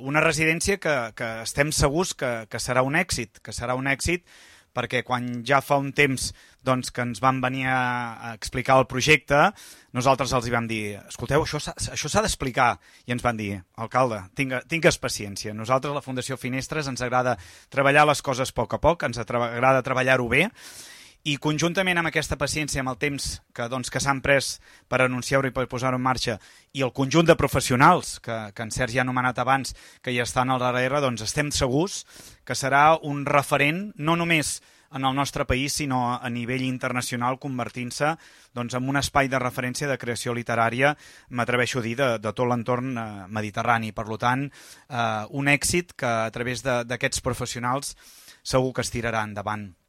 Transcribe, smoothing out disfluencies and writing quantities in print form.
una residència que estem segurs que serà un èxit, perquè quan ja fa un temps que ens van venir a explicar el projecte, nosaltres els hi vam dir, escolteu, això s'ha d'explicar, i ens van dir, alcalde, tingues paciència, nosaltres a la Fundació Finestres ens agrada treballar les coses a poc, ens agrada treballar-ho bé, i conjuntament amb aquesta paciència, amb el temps que s'han pres per anunciar-ho i per posar-ho en marxa, i el conjunt de professionals que en Sergi ha anomenat abans, que hi estan al darrere, doncs estem segurs que serà un referent, no només en el nostre país, sinó a nivell internacional, convertint-se en un espai de referència de creació literària, m'atreveixo a dir, de tot l'entorn mediterrani. Per tant, un èxit que a través d'aquests professionals segur que es tirarà endavant.